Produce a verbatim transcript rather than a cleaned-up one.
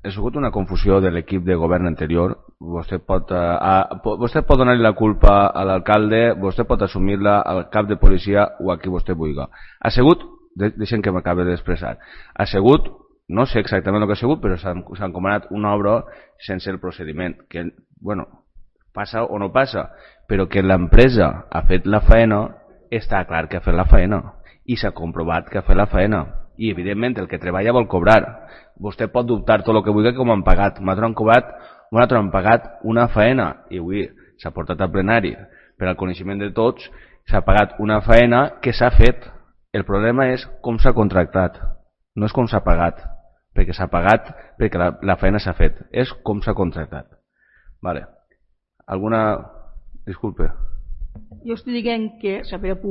ha sigut una confusió de l'equip de govern anterior. Vostè pot, uh, vostè pot donar-li la culpa a l'alcalde, vostè pot assumir-la al cap de policia o a qui vostè vulgui. Ha sigut, de, deixem que m'acabi d'expressar, ha sigut, no sé exactament el que ha sigut, però s'ha encomanat una obra sense el procediment, que, bueno, passa o no passa, però que l'empresa ha fet la feina, està clar que ha fet la feina, i s'ha comprovat que ha fet la feina. I evidentment el que treballa vol cobrar. Vostè pot dubtar tot el que vulgui com han pagat. Nosaltres han cobrat, nosaltres han pagat una feina i avui s'ha portat al plenari per al coneixement de tots, s'ha pagat una feina que s'ha fet. El problema és com s'ha contractat, no és com s'ha pagat, perquè s'ha pagat perquè la, la feina s'ha fet, és com s'ha contractat. Vale. Alguna... Disculpe. Jo estic dient que s'ha